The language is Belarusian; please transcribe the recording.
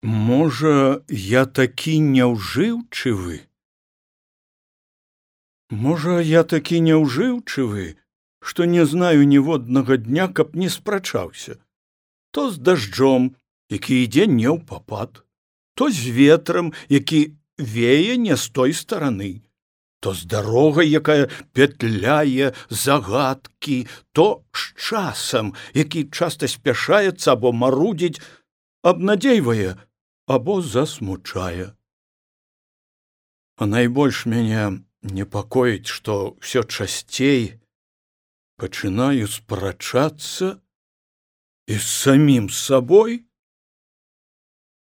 Можа, я такі няўжыўчывы? Можа, я такі няўжыўчывы, што не знаю ніводнага дня, каб не спрачаўся. То з дажджом, які ідзе не ўпапад, то з ветрам, які вее не з той стараны, то з дарогай, якая петляе загадкі, то з часам, які часта спяшаецца або марудзіць, абнадзейвае або засмучае. А найбольш мяне непакоіць, што ўсё часцей пачынаю спрачацца і з самім сабой,